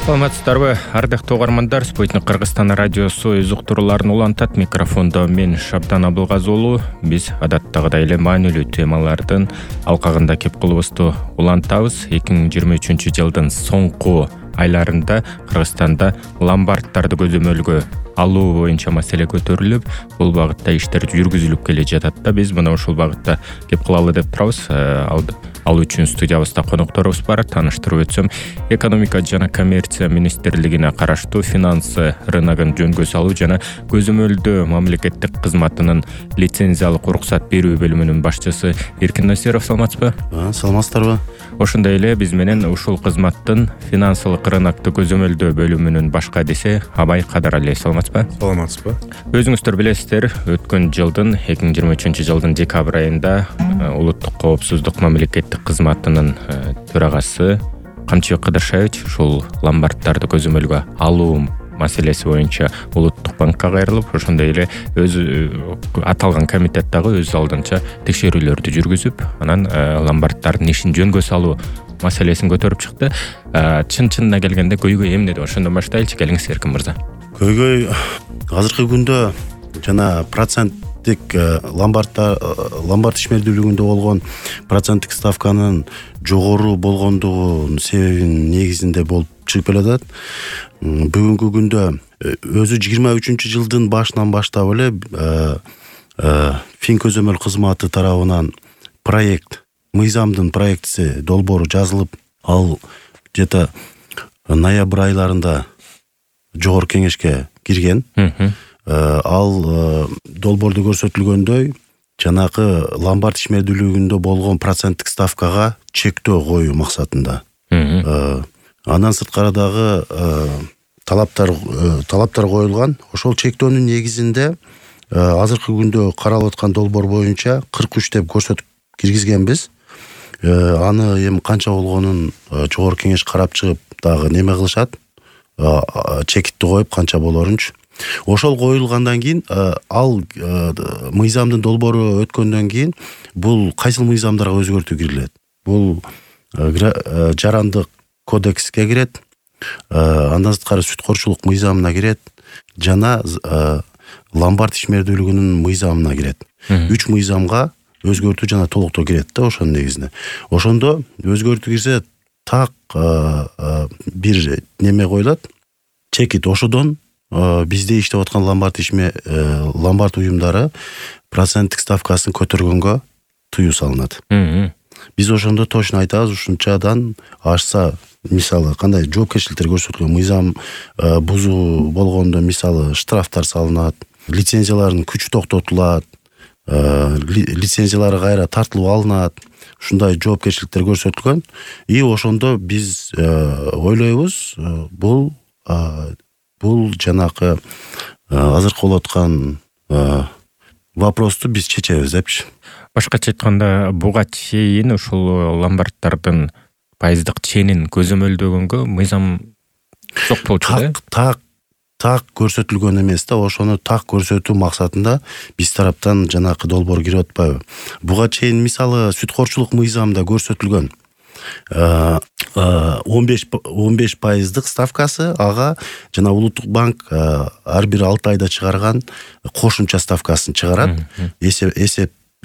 Саламатсыздарбы, ардактуу угармандар. Спутник Кыргызстан радиосу өз уктурууларын улантат. Микрофондо мен Шабдан Абылгазы уулу. Биз адаттагыдай эле маанилүү темалардын алкагында кеп кылыбызды улантабыз. 2023 жылдын соңку айларында Кыргызстанда ломбарддарды көзөмөлгө алуу боюнча маселе көтөрүлүп, бул багытта иштер жүргүзүлүп келе жатат да. Биз мына ушул багытта кеп кылалы деп турабыз. Ал үчүн студиябызда конокторубуз бар. Тааныштырып өтсөм, экономика жана коммерция министрлигине караштуу финансы рыногун жөнгө салуу жана көзөмөлдөө мамлекеттик кызматынын лицензиялык уруксат берүү бөлүмүнүн башчысы Эркин Насиров. Саламатсызбы? Саламатсыздарбы. Ошондой эле биз менен ушул кызматтын финансылык рынокту көзөмөлдөө бөлүмүнүн башка адиси Абай Кадаралиев. Саламатсызбы? Саламатсызбы. Өзүңүздөр билесиздер, өткөн жылдын 2023 жылдын декабрь айында улуттук коопсуздук мамлекеттик кызматынын төрагасы Камчыбек Кыдыршаевич ушул ломбарддарды көзөмөлгө алуу маселеси боюнча улуттук банкка кайрылып, ошондой эле өз аталган комитет дагы өз алдынча текшерүүлөрдү жүргүзүп, анан ломбарддардын ишин жөнгө салуу маселесин көтөрүп чыкты. Чын-чынына келгенде көйгөй эмне деп ошондон баштайлычы, келиңиз Эркин мырза. Көйгөй азыркы күндө жана проценттик ломбард ишмердүүлүгүндө болгон проценттик ставканын жогору болгондугунун себебинин негизинде болуп чыгып келатат. Бүгүнкү күндө өзү 23 жылдын башынан баштап эле фин көзөмөл кызматы тарабынан мыйзамдын проектиси долбоору жазылып, ал где-то ноябрь айларында жогорку кеңешке кирген. Ал долбоордо көрсөтүлгөндөй жанагы ломбард ишмердүүлүгүндө болгон проценттик ставкага чектөө коюу максатында. Андан сырткары дагы талаптар коюлган. Ошол чектөөнүн негизинде азыркы күндө каралып аткан долбоор боюнча 43 деп көрсөтүп киргизгенбиз. Аны эми канча болгонун жогорку кеңеш карап чыгып дагы неме кылышат, чекитти коюп канча болорунчу. Ошол коюлгандан кийин ал мыйзамдын долбоору өткөндөн кийин бул кайсыл мыйзамдарга өзгөртүү кирилет? Бул жарандык кодекске кирет, андан сырткары сүткорчулук мыйзамына кирет жана ломбард ишмердүүлүгүнүн мыйзамына кирет. 3 мыйзамга өзгөртүү жана толуктоо кирет да ошонун негизинде. Ошондо өзгөртүү кирсе так бир неме коюлат. Чекит ошодон бизде иштеп аткан ломбард уюмдары проценттик ставкасын көтөргөнгө тыюу салынат. Биз ошондо точно айтабыз, ушунчадан ашса, мисалы кандай жоопкерчиликтер көрсөтүлгөн, мыйзам бузуу болгондо мисалы штрафтар салынат, лицензиялардын күчү токтотулат, лицензиялары кайра тартылып алынат. Ушундай жоопкерчиликтер көрсөтүлгөн. И ошондо биз ойлойбуз, бул жанакы азыркы болуп аткан вопросту биз чечебиз депчи. Башкача айтканда, буга чейин ушул ломбарддардын пайыздык ченин көзөмөлдөгөнгө мыйзам жок болчу да? Так көрсөтүлгөн эмес да, ошону так көрсөтүү максатында биз тараптан жанакы долбоор кирип атпайбы. Буга чейин мисалы сүткорчулук мыйзамда көрсөтүлгөн 15% ставкасы, ага жана улуттук банк ар бир 6 айда чыгарган кошумча ставкасын чыгарат,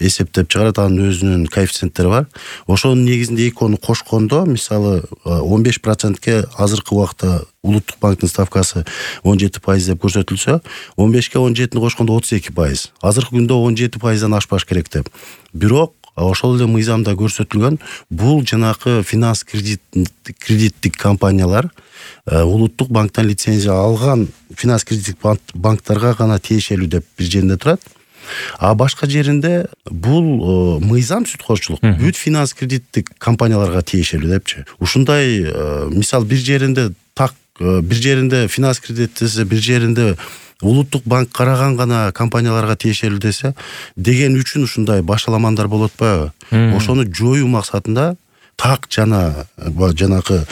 эсептеп чыгарат, анын өзүнүн коэффициенттери бар. Ошонун негизинде экөөнү кошкондо, мисалы 15%ке азыркы убакта улуттук банктын ставкасы 17% деп көрсөтүлсө, 15ке 17-ни кошкондо 32%. Азыркы күндө 17%дан ашпаш керек деп. Бирок ошол эле мыйзамда көрсөтүлгөн, бул жанакы финанс кредиттик компаниялар улуттук банктан лицензия алган финанс кредиттик банктарга гана тиешелүү деп бир жеринде турат. А башка жеринде бул мыйзам сүткорчулук бүт финанс кредиттик компанияларга тиешелүү депчи. Ушундай мисал бир жеринде бир жеринде финанс кредит десе, бир жеринде улуттук банк караган гана компанияларга тиешелүү десе, деген үчүн ушундай башаламандар болуп атпайбы? Ошону жоюу максатында так жанакы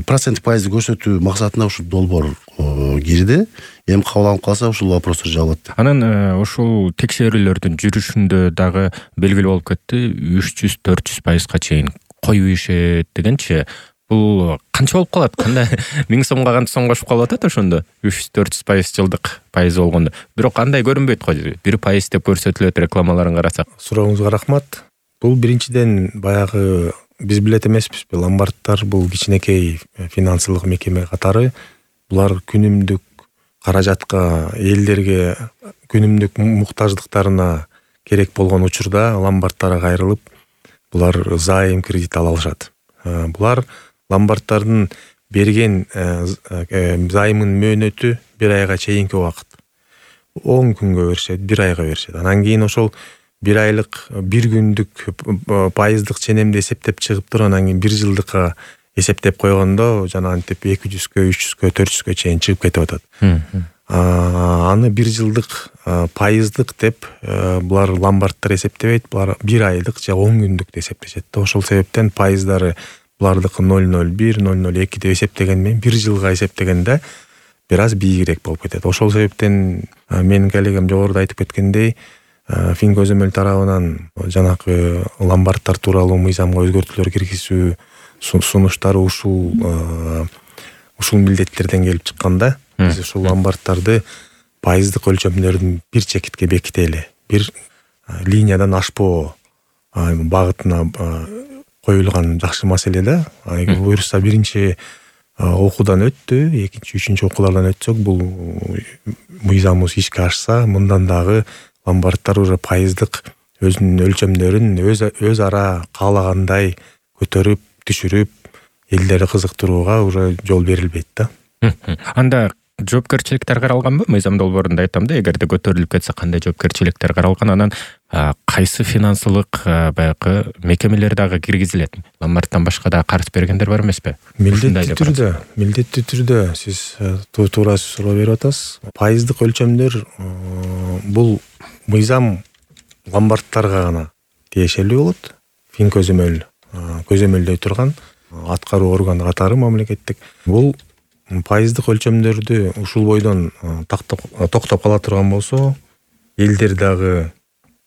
проценттик пайызды көрсөтүү максатында ушул долбоор кирди. Эми кабыл алынып калса ушул вопростор жабылат. Анан ушул текшерүүлөрдүн жүрүшүндө дагы белгилүү болуп кетти, 300-400%га чейин коюу ишет дегенчи, Бул канча болуп калат? Кандай 1000 сомго канча сом кошуп калып атат ошондо 300-400% жылдык пайыз болгондо. Бирок андай көрүнбөйт го. 1% деп көрсөтүлөт рекламаларын карасак. Сурооңузга рахмат. Бул биринчиден баягы биз билет эмеспизби, ломбардтар бул кичинекей финансылык мекеме катары. Булар күнүмдүк каражатка, элдерге күнүмдүк муктаждыктарына керек болгон учурда ломбардтарга кайрылып, булар зайым, кредит ала алышат. Булар ломбардтардын берген займын мөөнөтү 1 айга чейинки убакыт. 10 күнгө беришет, 1 айга беришет. Анан кийин ошол 1 айлык, 1 күндүк пайыздык ченемди эсептеп чыгып туруп, анан кийин 1 жылдыкка эсептеп койгондо жана антип 200-кө, 300-кө, 400-кө чейин чыгып кетип атат. Аны 1 жылдык пайыздык деп булар ломбардтар эсептебейт, булар 1 айлык же 10 күндүк деп эсептешет. Ошол себептен пайыздары булардыкы 0,01, 0,02 деп эсептеген менен 1 жылга эсептегенде бир аз бийигирээк болуп кетет. Ошол себептен менин коллегам жогоруда айтып кеткендей, Финкөзөмөл тарабынан жанагы ломбардтар тууралуу мыйзамга өзгөртүүлөр киргизүү сунуштары ушул милдеттерден келип чыкканда, биз ушул ломбардтарды пайыздык өлчөмдөрдүн бир чекитке бекители, бир линиядан ашпоо багытына коюлган жакшы маселе да. Эгер буюрса биринчи окуудан өттү, экинчи, үчүнчү окуулардан өтсөк, бул мыйзамыбыз ишке ашса, мындан дагы ломбардтар уже пайыздык өзүнүн өлчөмдөрүн өз ара каалагандай көтөрүп, түшүрүп, элдерди кызыктырууга уже жол берилбейт да. Анда жоопкерчиликтер каралганбы? Мыйзам долбоорунда айтам да, эгерде көтөрүлүп кетсе кандай жоопкерчиликтер каралган, анан кайсы финансылык баягы мекемелер дагы киргизилет? Ломбардтан башка да карыз бергендер бар эмеспи? Милдеттүү түрдө сиз туура суроо берип атасыз. Пайыздык өлчөмдөр бул мыйзам ломбардтарга гана тиешелүү болот. Финкөзөмөл көзөмөлдөй турган аткаруу органы катары мамлекеттик. Бул пайыздык өлчөмдөрдү ушул бойдон токтоп кала турган болсо, элдер дагы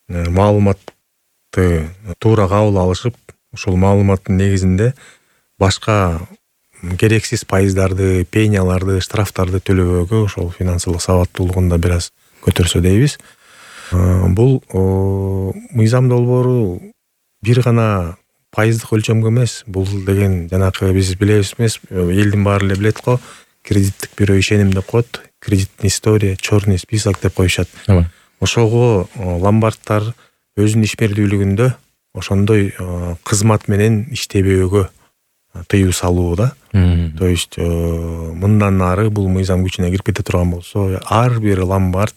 маалыматты туура кабыл алышып, ушул маалыматтын негизинде башка керексиз пайыздарды, пенияларды, штрафтарды төлөбөөгө ошол финансылык сабаттуулугун да бир аз көтөрсө дейбиз. Бул мыйзам долбоору бир гана пайыздык өлчөмгө эмес, бул деген жанагы биз билебиз эмес, элдин баары эле билет го, кредиттик бирөө ишеним деп коет, кредитный история, черный список деп коюшат. Ошого ломбардтар өзүнүн ишмердүүлүгүндө ошондой кызмат менен иштебөөгө тыюу салуу да. То есть мындан ары бул мыйзам күчүнө кирип кете турган болсо, ар бир ломбард,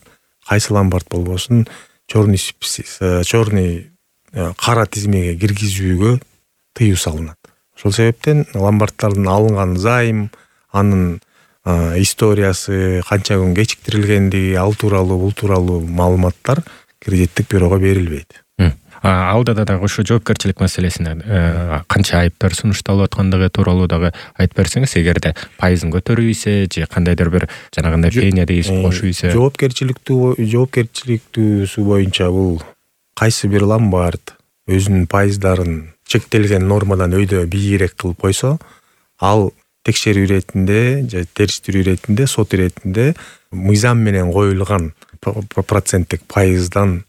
кайсы ломбард болбосун, черный кара тизмеге киргизүүгө тыюу салынат. Ошол себептен ломбардтардын алынган зайым, анын историясы, канча күн кечиктирилгендиги, ал тууралуу, бул тууралуу маалыматтар кредиттик бюрого берилбейт. Алда дагы ушу жоопкерчилик маселесине канча айыптар сунушталып аткандыгы тууралуу дагы айтып берсеңиз, эгерде пайызын көтөрүүсү же кандайдыр бир жанагындай пения дейсип кошуусу. Жоопкерчиликтүүсү боюнча бул кайсы бир ломбард өзүнүн пайыздарын чектелген нормадан өйдө бийигирээк кылып койсо, ал текшерүү иретинде же териштирүү иретинде, сот иретинде мыйзам менен коюлган проценттик пайыздан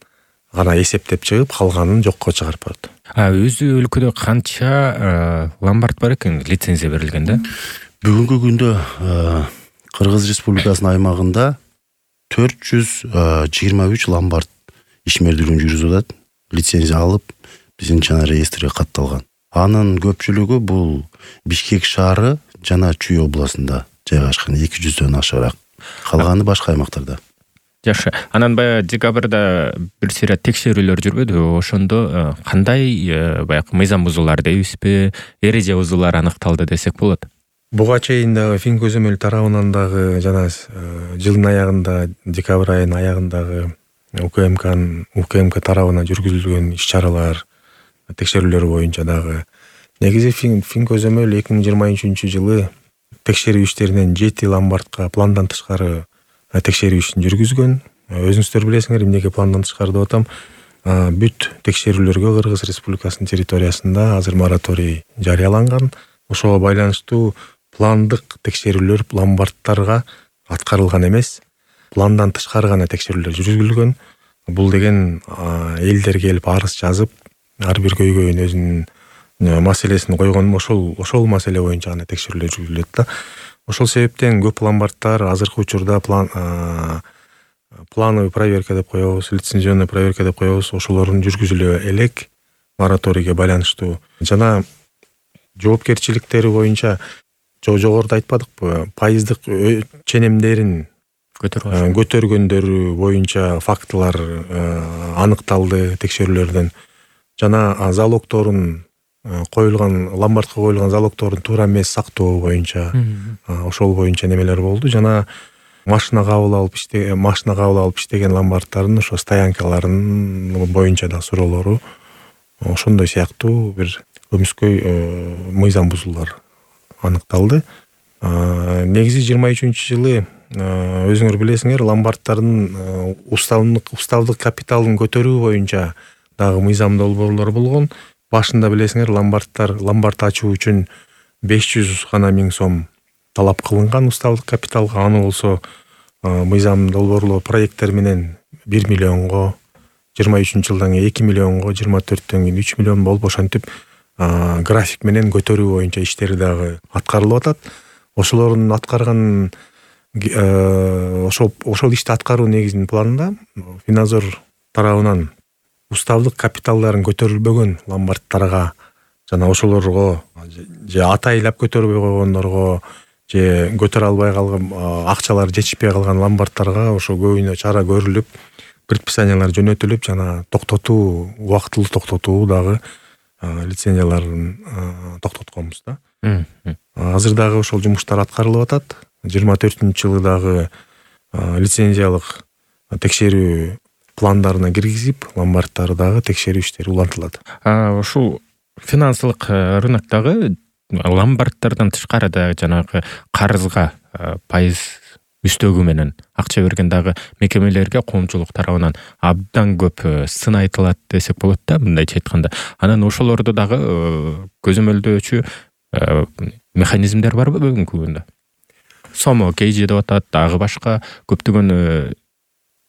гана эсептеп чыгып, калганын жокко чыгарып коет. Өзү өлкөдө канча ломбард бар экен лицензия берилген да? Бүгүнкү күндө Кыргыз Республикасынын аймагында 423 ломбард ишмердүүлүгүн жүргүзүп атат, лицензия алып, биздин жана реестрге катталган. Анын көпчүлүгү бул Бишкек шаары жана Чүй областында жайгашкан, 200дөн ашыраак. Калганы башка аймактарда. Жакшы. Анан баягы декабрда бир сыйра текшерүүлөр жүрбөдүбү? Ошондо кандай баягы мыйзам бузуулар дейбизби, эреже бузуулар аныкталды десек болот? Буга чейин дагы Финкөзөмөл тарабынан дагы жана жылдын аягында, декабрь айынын аягындагы УКМК тарабынан жүргүзүлгөн иш-чаралар, текшерүүлөр боюнча дагы негизи Финкөзөмөл 2023 жылы текшерүү иштеринен 7 ломбардка пландан тышкары текшерүү ишин жүргүзгөн. Өзүңүздөр билесиңер, эмнеге пландан тышкары деп атам? Бүт текшерүүлөргө Кыргыз Республикасынын территориясында азыр мораторий жарыяланган. ошого байланыштуу пландык текшерүүлөр ломбардтарга аткарылган эмес, пландан тышкары гана текшерүүлөр жүргүзүлгөн. Бул деген элдер келип арыз жазып, ар бир көйгөйүн өзүнүн маселесин койгон, ошол маселе боюнча гана текшерүүлөр жүргүзүлөт да. Ошол себептен көп ломбардтар азыркы учурда плановый проверка деп коебуз, лицензионный проверка деп коебуз, ошолорун жүргүзүлө элек мораторийге байланыштуу. Жана жоопкерчиликтери боюнча жогоруда айтпадыкпы, пайыздык ченемдерин көтөргөндөрү боюнча фактылар аныкталды текшерүүлөрдөн. Жана залогторун ломбардка коюлган залогторун туура эмес сактоо боюнча ошол боюнча немелер болду. Жана машина кабыл алып иштеген ломбардтардын ошо стоянкаларын боюнча да суроолору ошондой сыяктуу бир көмүскөй мыйзам бузуулар аныкталды. Негизи 23-жылы өзүңөр билесиңер, ломбардтардын уставдык капиталын көтөрүү боюнча дагы мыйзам долбоорлор болгон. Башында билесиңер, ломбард ачуу үчүн 500 гана миң сом талап кылынган уставдык капиталга. Аны болсо мыйзам долбоорлоо проекттер менен 1 миллионго, 23-жылдан кийин 2 миллионго, 24-төн кийин 3 миллион болуп, ошентип график менен көтөрүү боюнча иштери дагы аткарылып атат. Ошолордун аткарган ошол ишти аткаруу негизинин планында Финанзор тарабынан уставдык капиталдарын көтөрүлбөгөн ломбардтарга жана ошолорго же атайлап көтөрбөй койгондорго же көтөрө албай калган акчалар жетишпей калган ломбардтарга ошо көбүнө чара көрүлүп, предписаниялар жөнөтүлүп, жана убактылуу токтотуу дагы лицензияларын токтотконбуз да. Азыр дагы ошол жумуштар аткарылып атат. 24-жылы дагы лицензиялык текшерүү пландарына киргизип, ломбардтары дагы текшерүү иштери улантылат. Ушул финансылык рыноктогы ломбардтардан тышкары да жанагы карызга пайыз үстөгү менен акча берген дагы мекемелерге коомчулук тарабынан абдан көп сын айтылат десек болот да, мындайча айтканда. Анан ошолорду дагы көзөмөлдөөчү механизмдер барбы бүгүнкү күндө? Сомо кейжи деп атат, дагы башка көптөгөн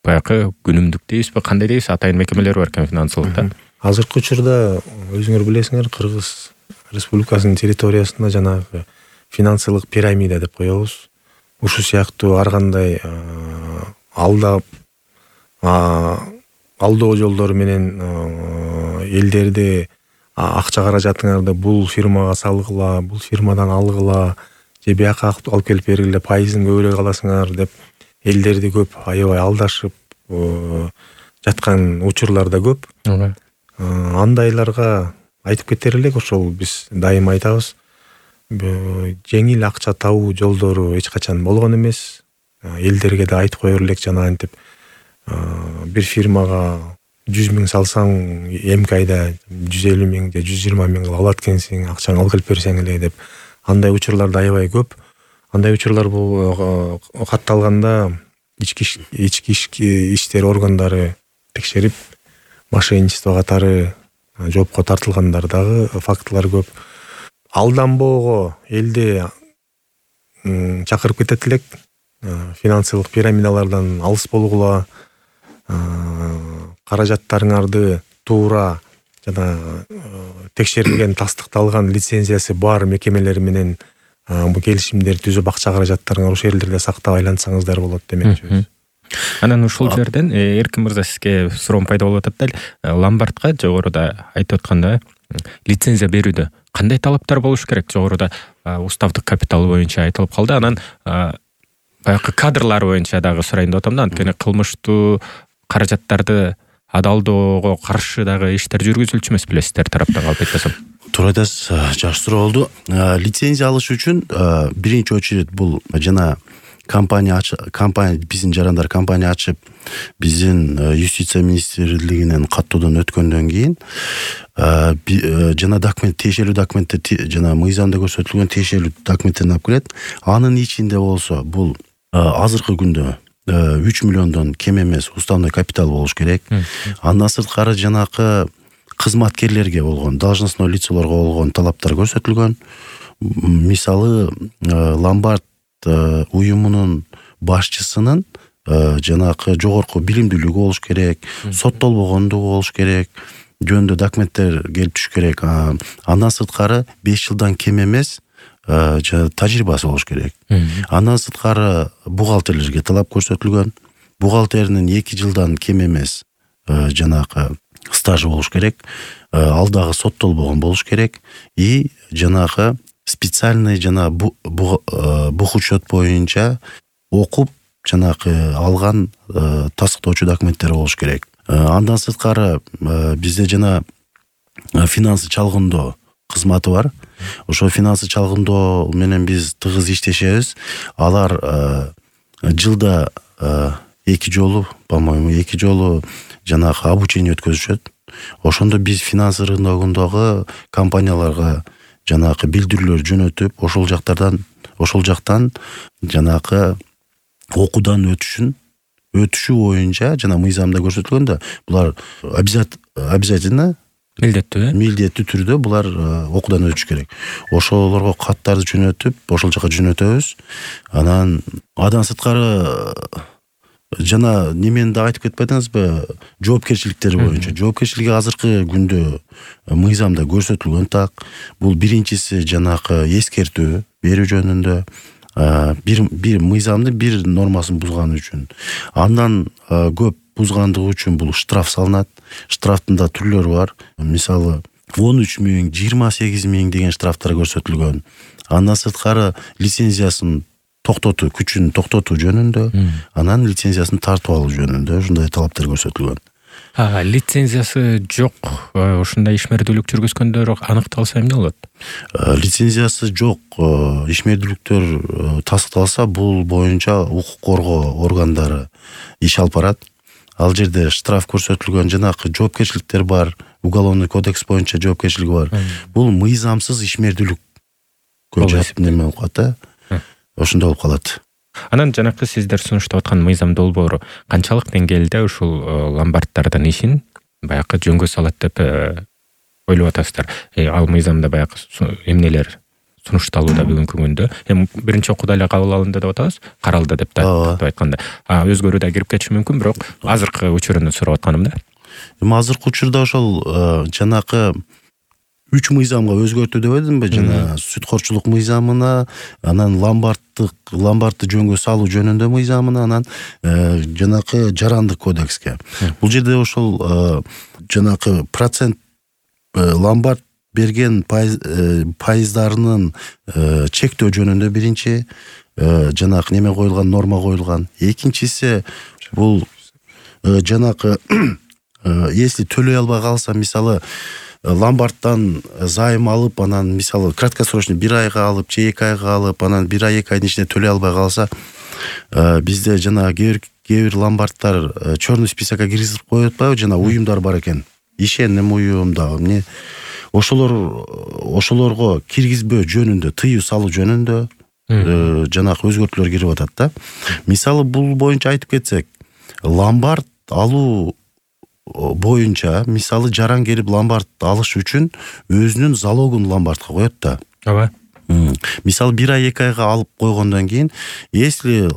баягы күнүмдүк дейбизби, кандай дейбиз, атайын мекемелер бар экен финансылыкта. Азыркы учурда өзүңөр билесиңер, Кыргыз Республикасынын территориясында жанагы финансылык пирамида деп коебуз. Ушу сыяктуу ар кандай алдоо жолдору менен элдерди акча каражатыңарды бул фирмага салгыла, бул фирмадан алгыла, же бияка алып келип бергиле, пайызын көбүрөөк аласыңар деп элдерди көп аябай алдашып жаткан учурлар да көп. Андайларга айтып кетер элек, ошол биз дайыма айтабыз, жеңил акча табуу жолдору эч качан болгон эмес. Элдерге да айтып коер элек, жана антип бир фирмага 100 миң салсаң, эмки айда 150 миң же 120 миң алат экенсиң, акчаңды алып келип берсең эле деп. Андай учурлар да аябай көп. Андай учурлар бул катталганда ички иштер органдары текшерип, мошенничество катары жоопко тартылгандар дагы фактылар көп. Алданбоого элди чакырып кетет элек, финансылык пирамидалардан алыс болгула, каражаттарыңарды туура жана текшерилген, тастыкталган лицензиясы бар мекемелер менен бул келишимдер түзүп, акча каражаттарыңар ошол жерлерде сактап айлансаңыздар болот демекчибиз. Анан ушул жерден Эркин мырза, сизге суроом пайда болуп атат да, ломбардка жогоруда айтып атканда лицензия берүүдө кандай талаптар болуш керек? Жогоруда уставдык капитал боюнча айтылып калды. Анан баягы кадрлар боюнча дагы сурайын деп атам да, анткени кылмыштуу каражаттарды адалдоого каршы дагы иштер жүргүзүлчү эмес билесиздер тараптан, калп айтпасам. Туура айтасыз, жакшы суроо болду. Лицензия алыш үчүн биринчи очередь бул жана компания биздин жарандар компания ачып, биздин юстиция министрлигинен каттоодон өткөндөн кийин жана документ, тиешелүү документтер, жана мыйзамда көрсөтүлгөн тиешелүү документтерин алып келет. Анын ичинде болсо бул азыркы күндө 3 миллиондон кем эмес уставной капитал болуш керек. Андан сырткары жанакы кызматкерлерге болгон, должностной лицолорго болгон талаптар көрсөтүлгөн. мисалы ломбард уюмунун башчысынын жанагы жогорку билимдүүлүгү болуш керек, соттолбогондугу болуш керек, жөнүндө документтер келип түшүш керек. Андан сырткары 5 жылдан кем эмес тажрыйбасы болуш керек. Андан сырткары бухгалтерлерге талап көрсөтүлгөн. Бухгалтеринин 2 жылдан кем эмес жанагы стажы болуш керек. Ал дагы соттолбогон болуш керек. И жанагы специальный бухучет боюнча окуп жанагы алган тастыктоочу документтер болуш керек. Андан сырткары бизде жана финансы чалгындоо кызматы бар. Ошо финансы чалгындоо менен биз тыгыз иштешебиз. Алар жылда 2 жолу, по-моему, 2 жолу жанагы обучение өткөзүшөт. Ошондо биз финансы рыногундагы компанияларга жанагы билдирүүлөр жөнөтүп, ошол жактан жанагы окуудан өтүшү боюнча жана мыйзамда көрсөтүлгөн да, булар обязательно милдеттүү түрдө булар окуудан өтүш керек. Ошолорго каттарды жөнөтүп, ошол жака жөнөтөбүз. Анан сырткары жана немени да айтып кетпедиңизби? Жоопкерчиликтери боюнча. Жоопкерчилиги азыркы күндө мыйзамда көрсөтүлгөн так. Бул биринчиси жанагы эскертүү берүү жөнүндө. Бир мыйзамдын бир нормасын бузган үчүн. Андан көп бузгандыгы үчүн бул штраф салынат. Штрафтын да түрлөрү бар. Мисалы 13.000, 28.000 деген штрафтар көрсөтүлгөн. Андан сырткары лицензиясын күчүн токтотуу жөнүндө, анан лицензиясын тартып алуу жөнүндө ушундай талаптар көрсөтүлгөн. Лицензиясы жок, ушундай ишмердүүлүк жүргүзгөндөр аныкталса эмне болот? Лицензиясы жок ишмердүүлүктөр тастыкталса, бул боюнча укук коргоо органдары иш алып барат. Ал жерде штраф көрсөтүлгөн, жанагы жоопкерчиликтер бар, уголовный кодекс боюнча жоопкерчилиги бар. Бул мыйзамсыз ишмердүүлүккө жатып неме болуп калат. Ошондой болуп калат. Анан жанакы сиздер сунуштап аткан мыйзам долбоору канчалык деңгээлде ушул ломбарддардын ишин баягы жөнгө салат деп ойлоп атасыздар? Ал мыйзамда баягы эмнелер сунушталууда бүгүнкү күндө? Биринчи окууда эле кабыл алынды деп атабыз, каралды деп да айтканда. Өзгөрүү да кирип кетиши мүмкүн, бирок азыркы учурунду сурап атканым да. Азыркы учурда ошол жанакы 3 мыйзамга өзгөртүү деп едимби? Жана сүткорчулук мыйзамына, анан ломбардты жөнгө салуу жөнүндө мыйзамына, анан жанакы жарандык кодекске. Бул жерде ошол жанакы процент ломбард берген пайыздарынын чектөө жөнүндө биринчи жанакы неме коюлган, норма коюлган. Экинчиси бул жанакы если төлөй албай калса, мисалы ломбардтан займ алып, анан мисалы краткосрочный 1 айга алып, же 2 айга алып, анан 1 ай 2 айдын ичинде төлөй албай калса, бизде жана кээ бир ломбардтар черный списокко киргизип коюп атпайбы, жана уюмдар бар экен. Ишеним уюмдагы эмне ошолорго киргизбөө жөнүндө, тыюу салуу жөнүндө жанагы өзгөртүүлөр кирип атат да. Мисалы бул боюнча айтып кетсек, ломбард алуу боюнча, мисалы жаран келип ломбард алыш үчүн өзүнүн залогун ломбардка коет да. Ооба. Мисалы 1 ай 2 айга алып койгондон кийин, если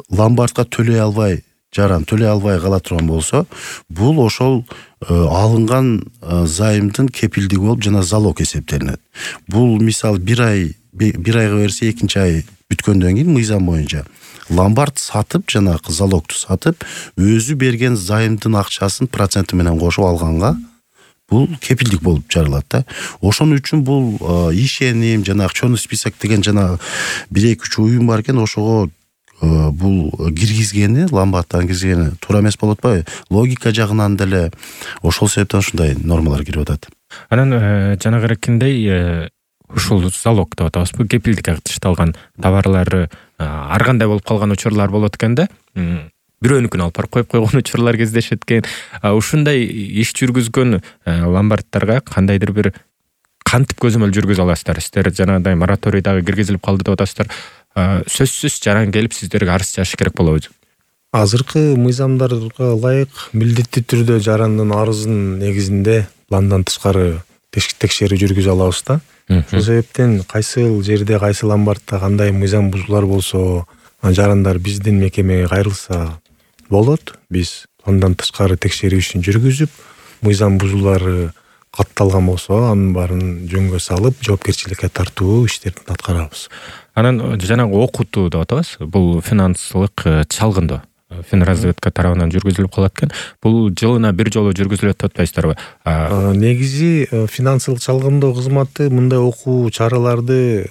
ломбардка төлөй албай, жаран төлөй албай кала турган болсо, бул ошол алынган займдын кепилдиги болуп, жана залог эсептелинет. Бул мисалы 1 айга берсе, 2 ай бүткөндөн кийин мыйзам боюнча ломбард сатып, жанагы залогту сатып, өзү берген займдын акчасын проценти менен кошуп алганга бул кепилдик болуп жаралат да. Ошон үчүн бул ишеним, жанагы черный список деген жана 1-2-3 уюм бар экен, ошого бул киргизгени, ломбардтан киргизгени туура эмес болуп атпайбы? Логика жагынан деле ошол себептен ушундай нормалар кирип атат. Анан жанагыракиндей ушул залог деп атабызбы, кепилдикке катташталган товарлары ар кандай болуп калган учурлар болот экен да. Бирөөнүкүн алып барып коюп койгон учурлар кездешет экен. Ушундай иш жүргүзгөн ломбардтарга кандайдыр бир кантип көзөмөл жүргүзө аласыздар? Сиздер жанагындай мораторий дагы киргизилип калды деп атасыздар. Сөзсүз жаран келип сиздерге арыз жазыш керек болобу? Азыркы мыйзамдарга ылайык милдеттүү түрдө жарандын арызынын негизинде пландан тышкары текшерүү жүргүзө алабыз да. Ошол себептен кайсыл жерде кайсыл ломбардта кандай мыйзам бузуулар болсо, жарандар биздин мекемеге кайрылса болот. Биз андан тышкары текшерүүсүн жүргүзүп, мыйзам бузуулары катталган болсо анын баарын жөнгө салып, жоопкерчиликке тартуу иштерин аткарабыз. Анан жанагы окутуу деп атабыз. Бул финансылык чалгындоо Финразведка тарабынан жүргүзүлүп калат экен. Бул жылына бир жолу жүргүзүлөт деп атпайсыздарбы? Негизи финансылык чалгындоо кызматы мындай окуу чараларды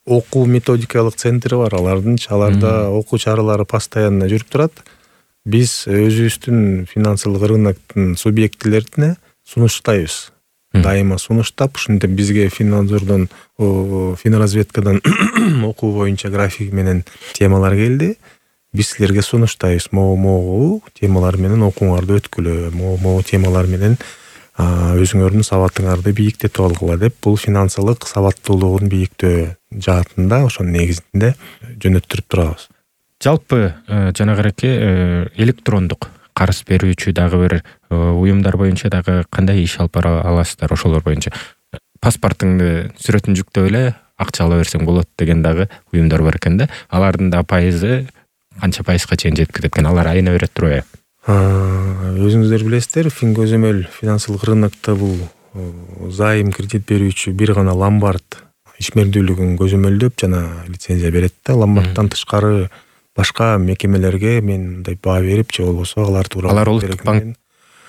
окуу методикалык центри бар. Аларда окуу чаралары постоянно жүрүп турат. Биз өзүбүздүн финансылык рыноктун субъектилерине сунуштайбыз. Дайыма сунуштап, ушинтип бизге Финнадзордон, Финразведкадан окуу боюнча график менен темалар келди. Биз силерге сунуштайбыз. Могу темалар менен окууңарды өткүлө, могу темалар менен өзүңөрдүн сабатыңарды бийиктетип алгыла деп, бул финансылык сабаттуулугун бийиктөө жаатында ошонун негизинде жөнөттүрүп турабыз. Жалпы жанагыраки электрондук карыз берүүчү дагы бир уюмдар боюнча дагы кандай иш алып бара аласыздар ошолор боюнча? Паспортуңду сүрөтүн жүктөп эле акча ала берсең болот деген дагы уюмдар бар экен да. Алардын да пайызы канча пайызга чейин жетип кетет экен? Алар айына берет турбайбы? Өзүңүздөр билесиздер, көзөмөл финансылык рынокто бул зайым кредит берүүчү бир гана ломбард ишмердүүлүгүн көзөмөлдөп жана лицензия берет да. Ломбардтан тышкары башка мекемелерге мен мындай баа берип, же болбосо алар тууралуу алар улуттук банк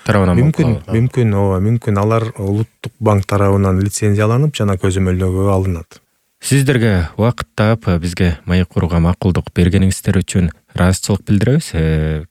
тарабынан мүмкүн алар улуттук банк тарабынан лицензияланып жана көзөмөлдөөгө алынат. Сиздерге убакыт таап бизге маек курууга макулдук бергениңиздер үчүн ыраазычылык билдиребиз.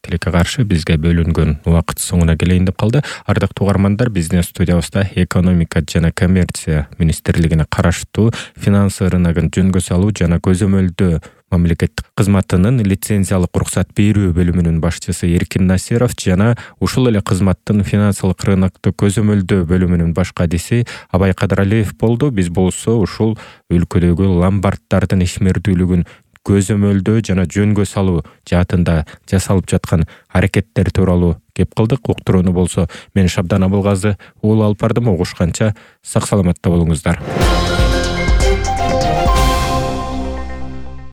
Тилекке каршы бизге бөлүнгөн убакыт соңуна келейин деп калды. Ардактуу угармандар, биздин студиябызда экономика жана коммерция министрлигине караштуу финансы рыногун жөнгө салуу жана көзөмөлдөө мамлекеттик кызматынын лицензиялык уруксат берүү бөлүмүнүн башчысы Эркин Насиров жана ушул эле кызматтын финансылык рынокту көзөмөлдөө бөлүмүнүн баш кадиси Абай Кадыралиев болду. Биз болсо ушул өлкөдөгү ломбарддардын ишмердүүлүгүн көзөмөлдөө жана жөнгө салуу жаатында жасалып жаткан аракеттер тууралуу кеп кылдык. Уктурууну болсо мен Шабдан Абылгазы уулу алып бардым. Угушканча сак саламатта болуңуздар.